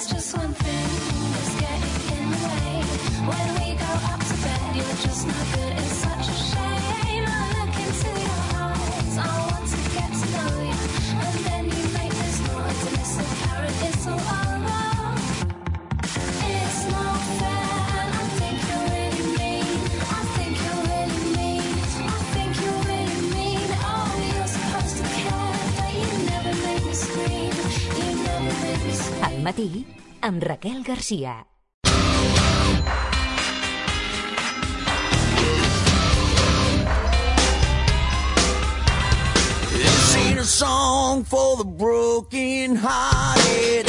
there's just one thing that's getting in the way. When we go up to bed, you're just not good. It's such a shame. I look into your eyes. I want to get to know you, and then you make this noise, and it's the carrot. It's all over. It's not fair, and I think you're really mean. I think you're really mean. I think you're really mean. Oh, you're supposed to care, but you never make me scream. You never make me scream. Al matí, amb Raquel Garcia. This ain't a song for the broken-hearted.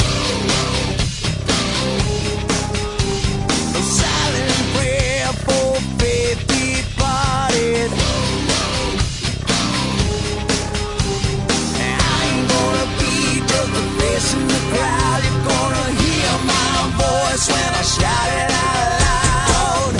A silent prayer for faith departed. I ain't gonna be just a face in the crowd. You're gonna hear my voice when I shout it out loud.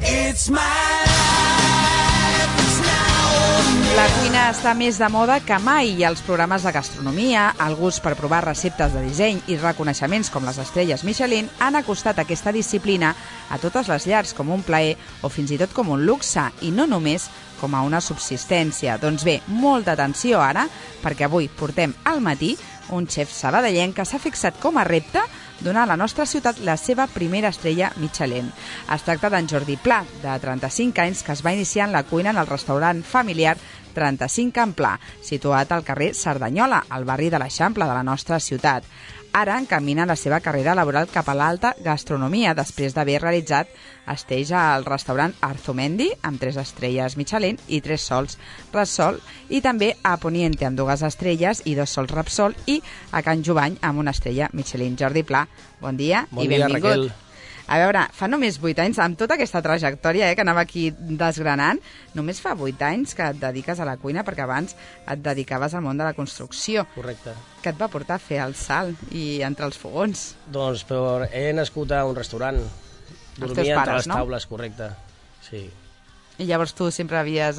It's my life, it's now or never. La cuina està més de moda que mai i els programes de gastronomia, el gust per provar receptes de disseny i reconeixements com les estrelles Michelin han acostat aquesta disciplina a totes les llars com un plaer o fins i tot com un luxe i no només com a una subsistència. Doncs bé, molta atenció ara, perquè avui portem al matí un xef sabadellenc que s'ha fixat com a repte donar a la nostra ciutat la seva primera estrella Michelin. Es tracta d'en Jordi Pla, de 35 anys, que es va iniciar en la cuina en el restaurant familiar 35 en Pla, situat al carrer Cerdanyola, al barri de l'Eixample de la nostra ciutat. Ara encamina la seva carrera laboral cap a l'alta gastronomia, després d'haver realitzat estells al restaurant Arzumendi, amb 3 estrelles Michelin i 3 sols Repsol, i també a Poniente, amb 2 estrelles i 2 sols Repsol, i a Can Jubany, amb 1 estrella Michelin. Jordi Pla, bon dia i benvingut. Raquel. A veure, fa només 8 anys, amb tota aquesta trajectòria que anava aquí desgranant, només fa 8 anys que et dediques a la cuina, perquè abans et dedicaves al món de la construcció. Correcte. Què et va portar a fer el salt i entrar als fogons? Doncs he nascut a un restaurant. Dormia entre les taules, correcte. Sí. I llavors tu sempre havies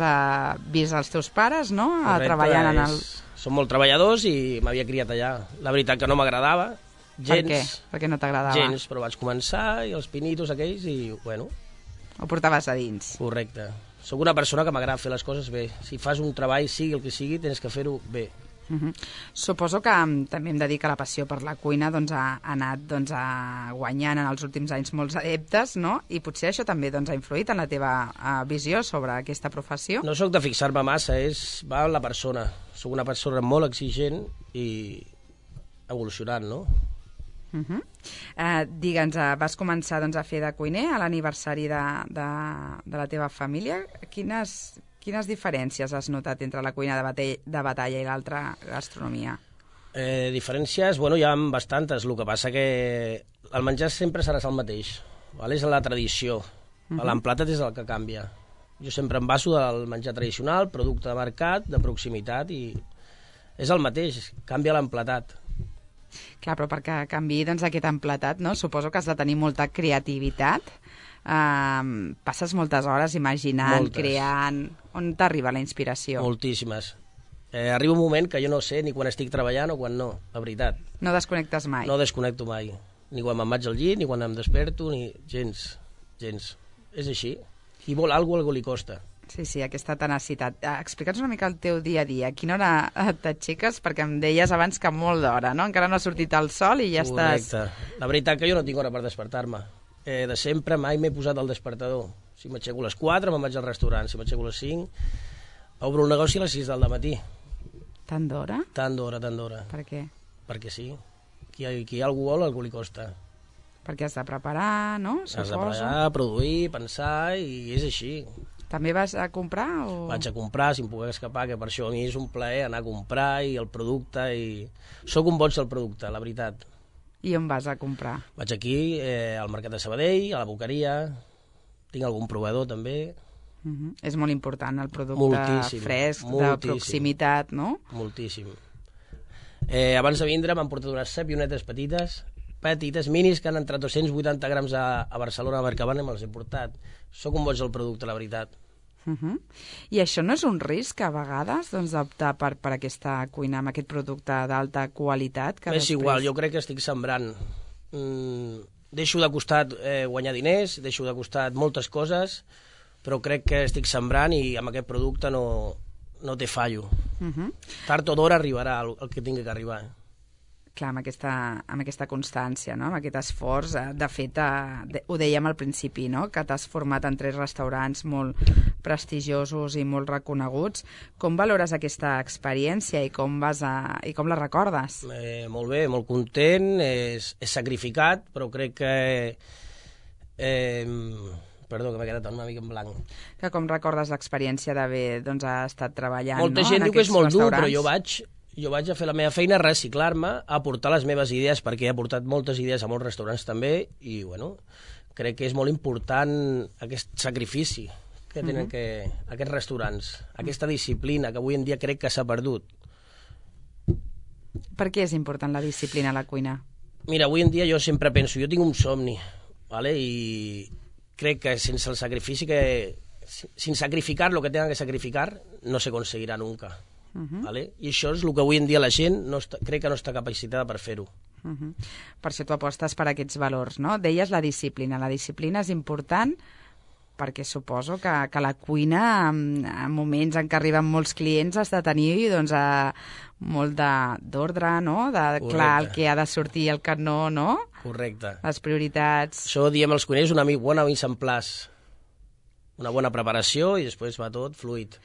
vist els teus pares, no? Correcte, Treballant en el... Són molt treballadors i m'havia criat allà. La veritat que no m'agradava, gens. Per què? Per què no t'agradava? Gens, però vaig començar i els pinitos aquells i, bueno... Ho portaves a dins. Correcte. Soc una persona que m'agrada fer les coses bé. Si fas un treball, sigui el que sigui, tens que fer-ho bé. Suposo que també em dedica la passió per la cuina, doncs ha anat guanyant en els últims anys molts adeptes, no? I potser això també ha influït en la teva visió sobre aquesta professió? No sóc de fixar-me massa, va en la persona. Sóc una persona molt exigent i evolucionant, no? Digue'ns, vas començar a fer de cuiner a l'aniversari de la teva família. Quines diferències has notat entre la cuina de batalla i l'altra gastronomia? Diferències, hi ha bastantes. El que passa que el menjar sempre serà el mateix. És la tradició. L'emplatat és el que canvia. Jo sempre em baso del menjar tradicional, producte de mercat, de proximitat, i és el mateix, canvia l'emplatat. Clar, però perquè canviï aquest emplatat, no? Suposo que has de tenir molta creativitat. Passes moltes hores imaginant, creant... On t'arriba la inspiració? Moltíssimes. Arriba un moment que jo no sé ni quan estic treballant o quan no, la veritat. No desconnectes mai? No desconnecto mai. Ni quan me'n vaig al llit, ni quan em desperto, ni gens. És així. Qui vol alguna cosa li costa. Sí, aquesta tenacitat. Explica'ns una mica el teu dia a dia. A quina hora t'aixeques? Perquè em deies abans que molt d'hora, no? Encara no ha sortit el sol i ja estàs... Correcte. La veritat que jo no tinc hora per despertar-me. De sempre mai m'he posat al despertador. Si m'aixeco a les 4 me'n vaig al restaurant, si m'aixeco a les 5 obro un negoci a les 6 del matí. Tant d'hora? Tant d'hora. Per què? Perquè sí. Qui algú vol, algú li costa. Perquè has de preparar, no? Has de preparar, produir, pensar, i és així. També vas a comprar? Vaig a comprar, si em puc escapar, que per això a mi és un plaer anar a comprar i el producte, i sóc un boig del producte, la veritat. I on vas a comprar? Vaig aquí, al Mercat de Sabadell, a la Boqueria, tinc algun proveïdor també. És molt important el producte fresc, de proximitat, no? Moltíssim. Abans de vindre m'han portat unes sapionetes petites, minis, que han entrat 280 grams a Barcelona, a Mercadona, i me'ls he portat. Soc un boig del producte, la veritat. I això no és un risc, a vegades, doncs, d'optar per aquesta cuina amb aquest producte d'alta qualitat? Que És igual, jo crec que estic sembrant. Deixo de costat guanyar diners, deixo de costat moltes coses, però crec que estic sembrant i amb aquest producte no té fallo. Tard o d'hora arribarà el que tingui que arribar. Clar, amb aquesta constància, no? Amb aquest esforç. De fet, ho dèiem al principi, no? Que t'has format en 3 restaurants molt prestigiosos i molt reconeguts. Com valores aquesta experiència i com la recordes? Molt bé, molt content, és sacrificat, però crec que... Perdó, que m'he quedat una mica en blanc. Que com recordes l'experiència d'haver estat treballant, molta gent diu que és molt dur, però jo vaig a fer la meva feina, reciclar-me, aportar les meves idees, perquè he aportat moltes idees a molts restaurants també, i bueno, crec que és molt important aquest sacrifici que tenen aquests restaurants, aquesta disciplina que avui en dia crec que s'ha perdut. Per què és important la disciplina a la cuina? Mira, avui en dia jo sempre penso, jo tinc un somni, ¿vale? I crec que sense el sacrifici sin sacrificar lo que tengan que sacrificar no se conseguirá nunca. ¿Vale? I això és el que avui en dia la gent crec que no està capacitada per fer-ho. Per això tu apostes per aquests valors, no? Deies la disciplina. La disciplina és important perquè suposo que la cuina, en moments en què arriben molts clients, has de tenir molt d'ordre, no? De clar el que ha de sortir i el que no, no? Correcte. Les prioritats. Això diem els cuiners, una bona mise en place, una bona preparació i després va tot fluid.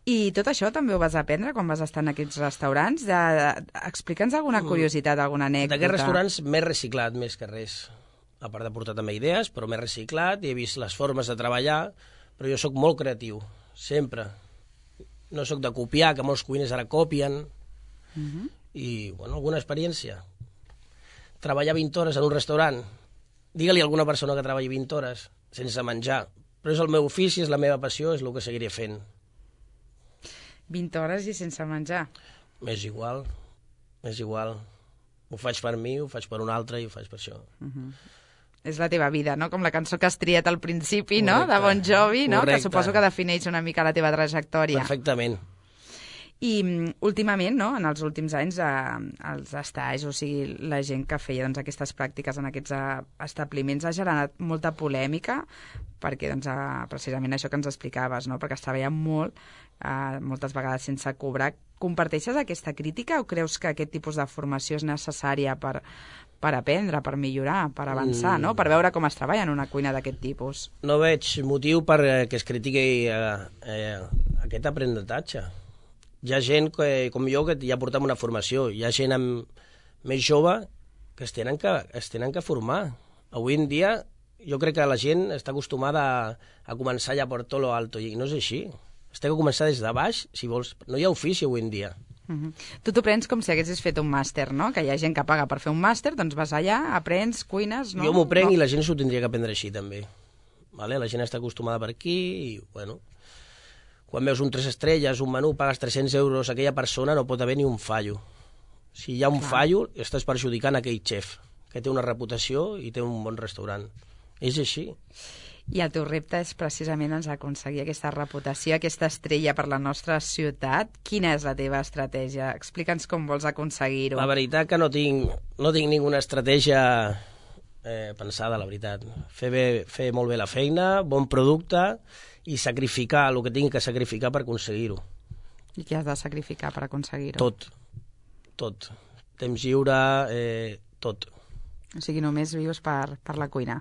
I tot això també ho vas aprendre quan vas estar en aquests restaurants? Explica'ns alguna curiositat, alguna anècdota. D'aquests restaurants m'he reciclat més que res. A part de portar també idees, però m'he reciclat i he vist les formes de treballar, però jo sóc molt creatiu, sempre. No sóc de copiar, que molts cuiners ara copien. I, bueno, alguna experiència. Treballar 20 hores en un restaurant. Digue-li a alguna persona que treballi 20 hores sense menjar. Però és el meu ofici, és la meva passió, és el que seguiré fent. 20 hores i sense menjar. És igual. Ho faig per mi, ho faig per un altre i ho faig per això. És la teva vida, no? Com la cançó que has triat al principi, no? De Bon Jovi, no? Correcte. Que suposo que defineix una mica la teva trajectòria. Perfectament. I últimament, no? En els últims anys, els estais, o sigui, la gent que feia aquestes pràctiques en aquests establiments ha generat molta polèmica perquè, precisament això que ens explicaves, no? Perquè es treballa molt, moltes vegades sense cobrar. Comparteixes aquesta crítica o creus que aquest tipus de formació és necessària per aprendre, per millorar, per avançar, no? Per veure com es treballa en una cuina d'aquest tipus? No veig motiu perquè es critiqui aquest aprenentatge. Hi ha gent com jo que ja portem una formació, hi ha gent més jove que es tenen que formar. Avui en dia jo crec que la gent està acostumada a començar ja per tot lo alto i no és així. Has de començar des de baix, si vols. No hi ha ofici avui en dia. Tu t'ho prens com si haguessis fet un màster, no? Que hi ha gent que paga per fer un màster, doncs vas allà, aprens, cuines, no? Jo m'ho prenc i la gent s'ho tindria que aprendre així, també. Vale? La gent està acostumada per aquí i, bueno, quan veus un 3 estrelles, un menú, pagues 300 euros, aquella persona no pot haver ni un fallo. Si hi ha un fallo, estàs perjudicant aquell xef, que té una reputació i té un bon restaurant. És així. I el teu repte és precisament aconseguir aquesta reputació, aquesta estrella per la nostra ciutat. Quina és la teva estratègia? Explica'ns com vols aconseguir-ho. La veritat que no tinc ninguna estratègia pensada, la veritat. Fer molt bé la feina, bon producte i sacrificar el que tinc que sacrificar per aconseguir-ho. I què has de sacrificar per aconseguir-ho? Tot. Temps lliure, tot. O sigui, només vius per la cuina.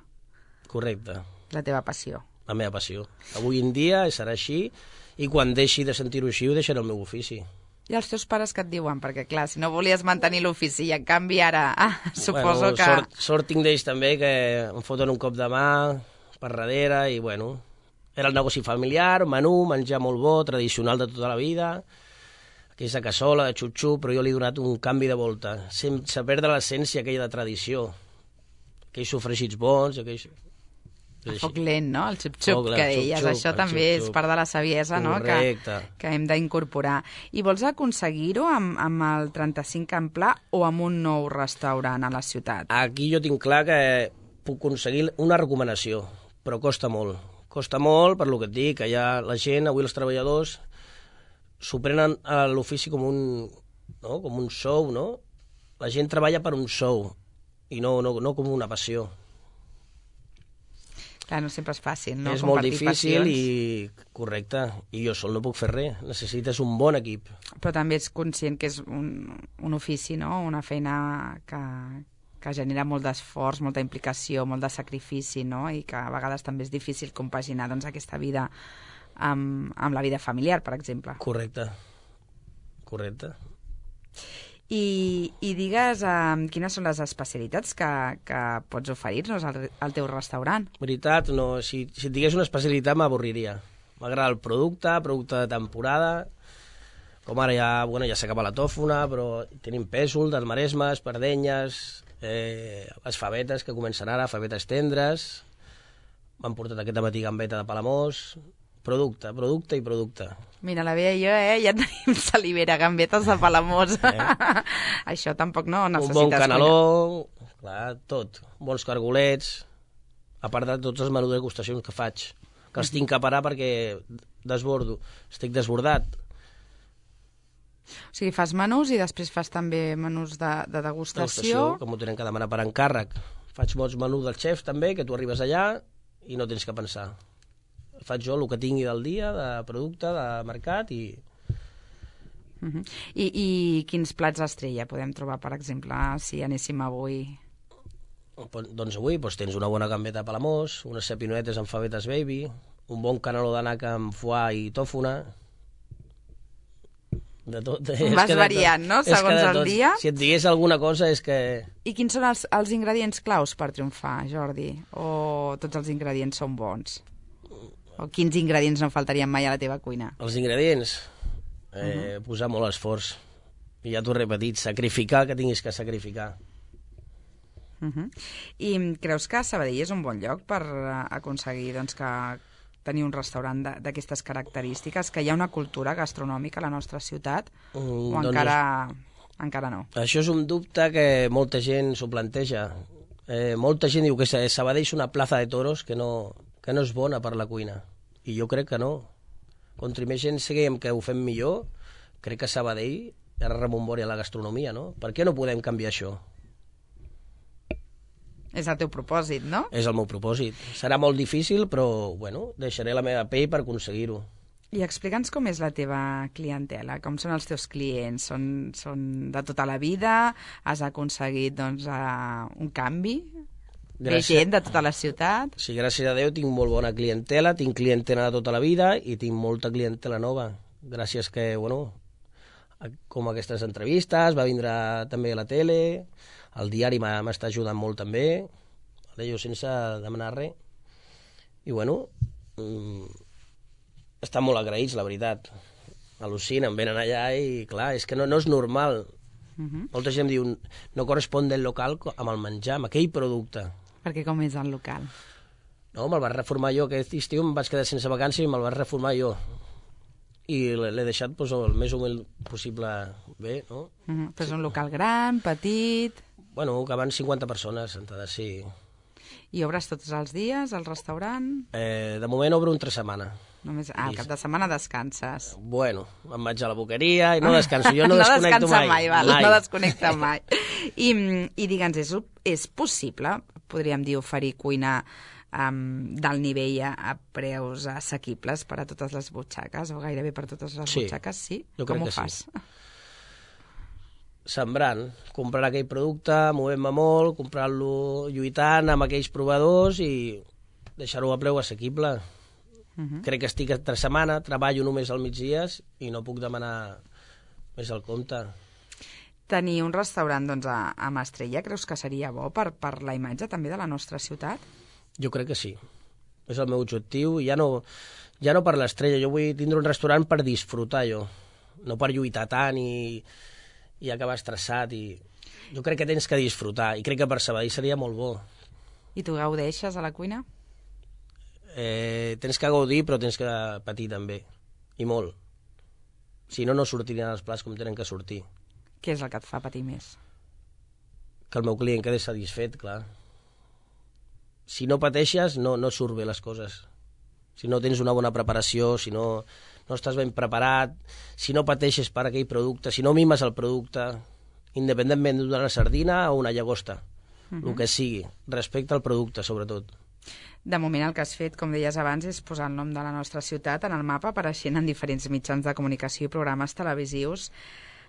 Correcte. La teva passió. La meva passió. Avui en dia serà així i quan deixi de sentir-ho així ho deixaré el meu ofici. I els teus pares què et diuen? Perquè, clar, si no volies mantenir l'ofici i en canvi ara suposo que... Sort tinc d'ells també, que em foten un cop de mà per darrere i, bueno, era el negoci familiar, menú, menjar molt bo, tradicional de tota la vida, aquella cassola de xup-xup, però jo li he donat un canvi de volta, sense perdre l'essència aquella de tradició, aquells sofregits bons, aquells... El foc lent, no? El xup-xup que deies. Això també és part de la saviesa, no? Que hem d'incorporar. I vols aconseguir-ho amb el 35 en pla o amb un nou restaurant a la ciutat? Aquí jo tinc clar que puc aconseguir una recomanació, però costa molt. Costa molt, per lo que et dic, que ja la gent, avui els treballadors, s'ho prenen a l'ofici com un sou, no? La gent treballa per un sou, i no com una passió. Clar, no sempre és fàcil, no? És molt Compartir difícil passions. correcte, i jo sol no puc fer res, necessites un bon equip. Però també ets conscient que és un ofici, no? Una feina que genera molt d'esforç, molta implicació, molt de sacrifici, no? I que a vegades també és difícil compaginar doncs, aquesta vida amb la vida familiar, per exemple. Correcte. I digues quines són les especialitats que pots oferir-nos al teu restaurant. Veritat, no, si et digués una especialitat m'avorriria. M'agrada el producte de temporada, com ara ja s'acaba la tòfona, però tenim pèsol, del Maresme, espardenyes, les favetes que comencen ara, favetes tendres, m'han portat aquest matí gambeta de Palamós, producte. Mira, la Bea i jo, ja tenim salivera, gambetes de Palamós. Això tampoc no necessites... Un bon caneló, clar, tot. Bons cargolets, a part de tots els menús de degustacions que faig, que els tinc que parar perquè estic desbordat. O sigui, fas menús i després fas també menús de degustació. Que m'ho tenen que demanar per encàrrec. Faig molts menús del xef també, que tu arribes allà i no tens que pensar. Faig jo el que tingui del dia, de producte, de mercat i... I quins plats estrella podem trobar, per exemple, si anéssim avui? Doncs avui tens una bona gambeta de Palamós, unes sapinoetes amb favetes baby, un bon caneló de naca amb foie i tòfona... De tot. Vas variant, no?, segons el dia. Si et digués alguna cosa és que... I quins són els ingredients claus per triomfar, Jordi? O tots els ingredients són bons? O quins ingredients no faltarien mai a la teva cuina? Els ingredients? Posar molt esforç. I ja t'ho he repetit, sacrificar el que tinguis que sacrificar. I creus que Sabadell és un bon lloc per aconseguir doncs, que tenir un restaurant d'aquestes característiques, que hi ha una cultura gastronòmica a la nostra ciutat, o encara no? Això és un dubte que molta gent s'ho planteja. Molta gent diu que Sabadell és una plaça de toros que no és bona per la cuina. I jo crec que no. Contra més gent seguim que ho fem millor, crec que Sabadell ara rememoria la gastronomia, no? Per què no podem canviar això? És el teu propòsit, no? És el meu propòsit. Serà molt difícil, però, bueno, deixaré la meva pell per aconseguir-ho. I explica'ns com és la teva clientela, com són els teus clients. Són de tota la vida? Has aconseguit, doncs, un canvi? Ve gent de tota la ciutat? Sí, gràcies a Déu tinc molt bona clientela, tinc clientela de tota la vida i tinc molta clientela nova. Gràcies que, bueno, com aquestes entrevistes, va vindre també a la tele... El diari m'està ajudant molt també, jo sense demanar res. I bueno, estan molt agraïts, la veritat. Al·lucinen, venen allà i clar, és que no és normal. Molta gent diu, no correspon del local amb el menjar, amb aquell producte. Perquè com és el local? No, me'l vaig reformar jo, aquest estiu em vaig quedar sense vacances i me'l vaig reformar jo. I l'he deixat el més humil possible bé, no? Però és un local gran, petit... Bueno, que van 50 persones sentades, sí. I obres tots els dies al restaurant? De moment obro entre setmana. Només, al cap de setmana descanses. Bueno, em vaig a la boqueria i no descanso. Jo no desconnecto mai. No desconnecta mai. I digue'ns, és possible, podríem dir, oferir cuina d'alt nivell a preus assequibles per a totes les butxaques, o gairebé per totes les butxaques? Sí? Jo crec com que ho fas? Sí. Sembrant, comprar aquell producte, movent-me molt, comprant-lo, lluitant amb aquells proveïdors i deixar-ho a preu assequible. Crec que estic entre setmana, treballo només al migdies i no puc demanar més al compte. Tenir un restaurant doncs, amb estrella, creus que seria bo per la imatge també de la nostra ciutat? Jo crec que sí. És el meu objectiu. Ja no per l'estrella. Jo vull tindre un restaurant per disfrutar jo, no per lluitar tant i acabar estressat. Jo crec que tens que disfrutar i crec que per Sabadell seria molt bo. I tu gaudeixes a la cuina? Tens que gaudir, però tens que patir també, i molt. Si no, no sortirien els plats com tenen que sortir. Què és el que et fa patir més? Que el meu client quedi satisfet, clar. Si no pateixes, no surt bé les coses. Si no tens una bona preparació, si no estàs ben preparat, si no pateixes per aquell producte, si no mimes el producte, independentment d'una sardina o una llagosta, el que sigui, respecte al producte, sobretot. De moment el que has fet, com deies abans, és posar el nom de la nostra ciutat en el mapa, apareixent en diferents mitjans de comunicació i programes televisius.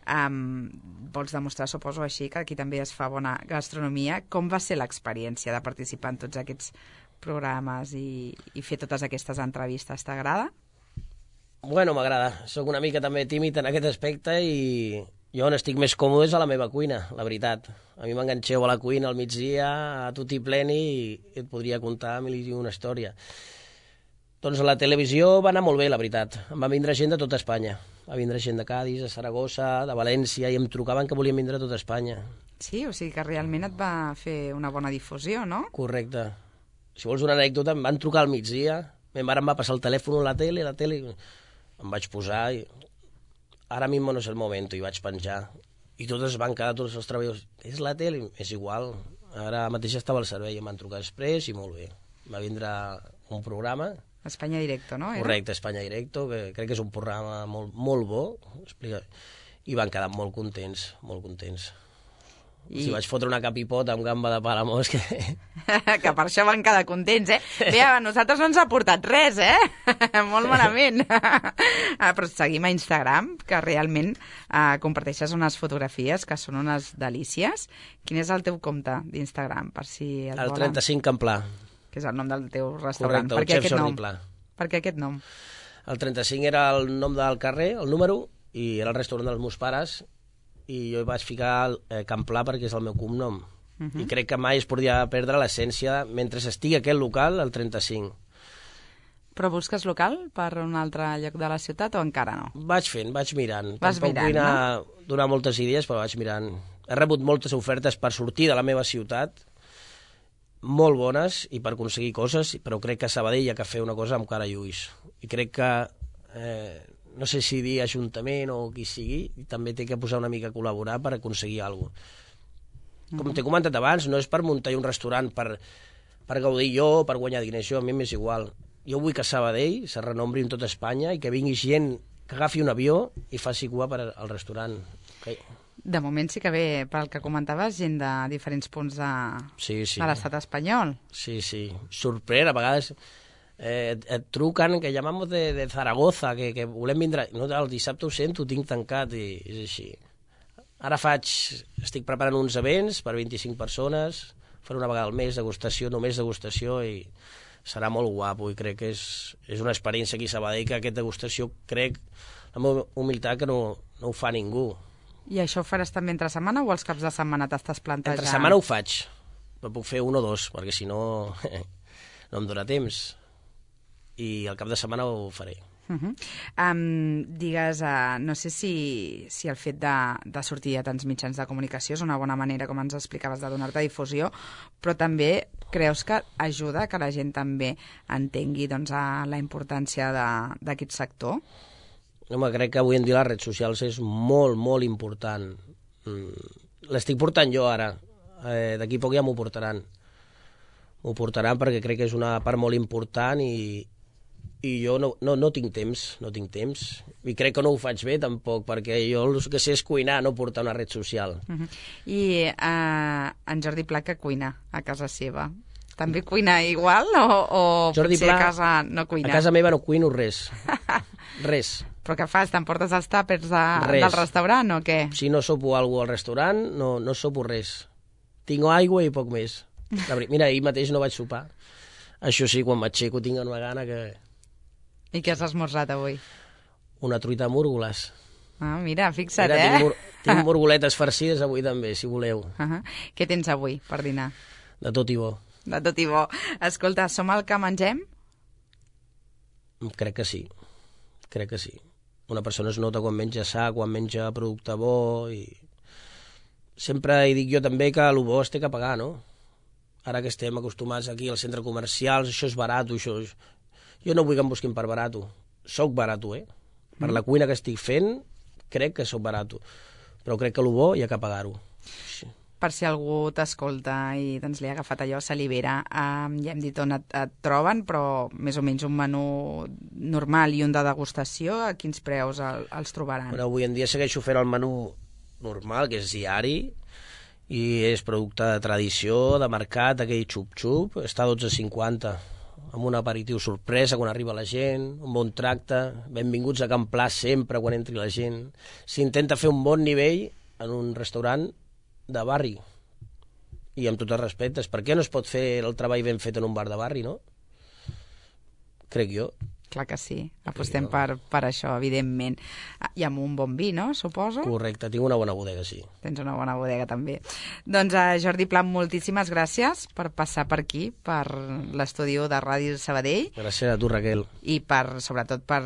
Vols demostrar, suposo, així, que aquí també es fa bona gastronomia. Com va ser l'experiència de participar en tots aquests programes i fer totes aquestes entrevistes? T'agrada? Bueno, m'agrada. Soc una mica també tímid en aquest aspecte i jo on estic més còmode és a la meva cuina, la veritat. A mi m'enganxeu a la cuina al migdia, a tutti pleni, i et podria contar mil i una història. Doncs a la televisió va anar molt bé, la veritat. Em va vindre gent de tota Espanya. Va vindre gent de Cádiz, de Saragossa, de València, i em trucaven que volien vindre a tota Espanya. Sí, o sigui que realment et va fer una bona difusió, no? Correcte. Si vols una anècdota, em van trucar al migdia, ma mare em va passar el telèfon a la tele, em vaig posar i ara mismo no és el moment, i vaig penjar. I totes van quedar, tots els treballadors, és la tele? És igual. Ara mateix estava al servei, em van trucar després i molt bé. Va vindre un programa... Espanya Directo, no? Correcte, Espanya Directo, que crec que és un programa molt bo, i van quedar molt contents, molt contents. Si vaig fotre una capipota amb gamba de palamós que... que per això van quedar contents, eh? Bé, a nosaltres no ens ha portat res, molt malament. Però seguim a Instagram, que realment comparteixes unes fotografies que són unes delícies. Quin és el teu compte d'Instagram, per si el volen? El 35 Camplà. Que és el nom del teu restaurant. Correcte, el xef Jordi Pla. Per què aquest nom? El 35 era el nom del carrer, el número, i era el restaurant dels meus pares, i jo hi vaig ficar Camplà perquè és el meu cognom. I crec que mai es podria perdre l'essència mentre estigui aquell local, el 35. Però busques local per un altre lloc de la ciutat o encara no? Vaig mirant. Vas mirant, vull donar moltes idees, però vaig mirant. He rebut moltes ofertes per sortir de la meva ciutat, molt bones, i per aconseguir coses, però crec que a Sabadell hi ha que fer una cosa amb cara i ulls. I crec que... no sé si dir Ajuntament o qui sigui, també té que posar una mica a col·laborar per aconseguir alguna cosa. Com t'he comentat abans, no és per muntar un restaurant per gaudir jo, per guanyar diners, a mi m'és igual. Jo vull que Sabadell se renombri en tota Espanya i que vingui gent que agafi un avió i faci cua per al restaurant. Okay. De moment sí que ve, pel que comentaves, gent de diferents punts de l'estat espanyol. Sí. Sorprèn, a vegades... et truquen que llamamos de Zaragoza, que volem vindre, no, el dissabte ho sento, ho tinc tancat, i és així. Ara estic preparant uns events per 25 persones, faré una vegada al mes degustació, només degustació, i serà molt guapo, i crec que és una experiència aquí a Sabadell, que aquesta degustació crec, la meva humilitat, que no ho fa ningú. I això ho faràs també entre setmana o els caps de setmana t'estàs plantejant? Entre setmana ho faig, però puc fer un o dos, perquè si no no em dóna temps. I al cap de setmana ho faré. Digues, no sé si el fet de sortir a tants mitjans de comunicació és una bona manera, com ens explicaves, de donar-te difusió, però també creus que ajuda que la gent també entengui la importància d'aquest sector? Home, crec que avui en dia les redes socials és molt, molt important. L'estic portant jo ara. D'aquí poc ja m'ho portaran. M'ho portaran perquè crec que és una part molt important i jo no tinc temps, i crec que no ho faig bé tampoc, perquè jo el que sé és cuinar, no portar una red social. I en Jordi Pla, que cuina a casa seva? També cuina igual o Jordi potser Pla, a casa no cuina? A casa meva no cuino res. Res. Però què fas? T'emportes els tàpers del restaurant o què? Si no sopo alguna cosa al restaurant, no sopo res. Tinc aigua i poc més. Mira, ahir mateix no vaig sopar. Això sí, quan m'aixeco tinc una gana que... I què has esmorzat avui? Una truita amb múrgoles. Ah, mira, fixa't, Tinc múrgoletes farcides avui també, si voleu. Què tens avui per dinar? De tot i bo. De tot i bo. Escolta, som el que mengem? Crec que sí. Una persona es nota quan menja sa, quan menja producte bo, i... Sempre hi dic jo també que el bo es té que pagar, no? Ara que estem acostumats aquí al centre comercial, això és barat, això... Jo no vull que em busquin per barat. Soc barat, Per la cuina que estic fent, crec que soc barat. Però crec que el bo hi ha que pagar-ho. Sí. per si algú t'escolta i doncs, li ha agafat allò salivera. Ja hem dit on et troben, però més o menys un menú normal i un de degustació, a quins preus els trobaran? Bueno, avui en dia segueixo fent el menú normal, que és diari, i és producte de tradició, de mercat, aquell xup-xup, està a 12,50, amb un aperitiu sorpresa quan arriba la gent, un bon tracte, benvinguts a Can Pla sempre quan entri la gent. S'intenta fer un bon nivell en un restaurant de barri, i amb tots els respectes, per què no es pot fer el treball ben fet en un bar de barri, no? Crec jo. Clar que sí, apostem per això, evidentment. I amb un bon vi, no?, suposo? Correcte, tinc una bona bodega, sí. Tens una bona bodega, també. Doncs, Jordi Pla, moltíssimes gràcies per passar per aquí, per l'estudi de Ràdio Sabadell. Gràcies a tu, Raquel. I sobretot per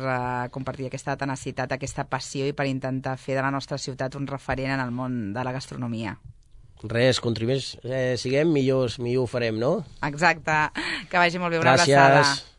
compartir aquesta tenacitat, aquesta passió i per intentar fer de la nostra ciutat un referent en el món de la gastronomia. Res, contribuïs, siguem millors, millor ho farem, no? Exacte. Que vagi molt bé, una abraçada. Gràcies.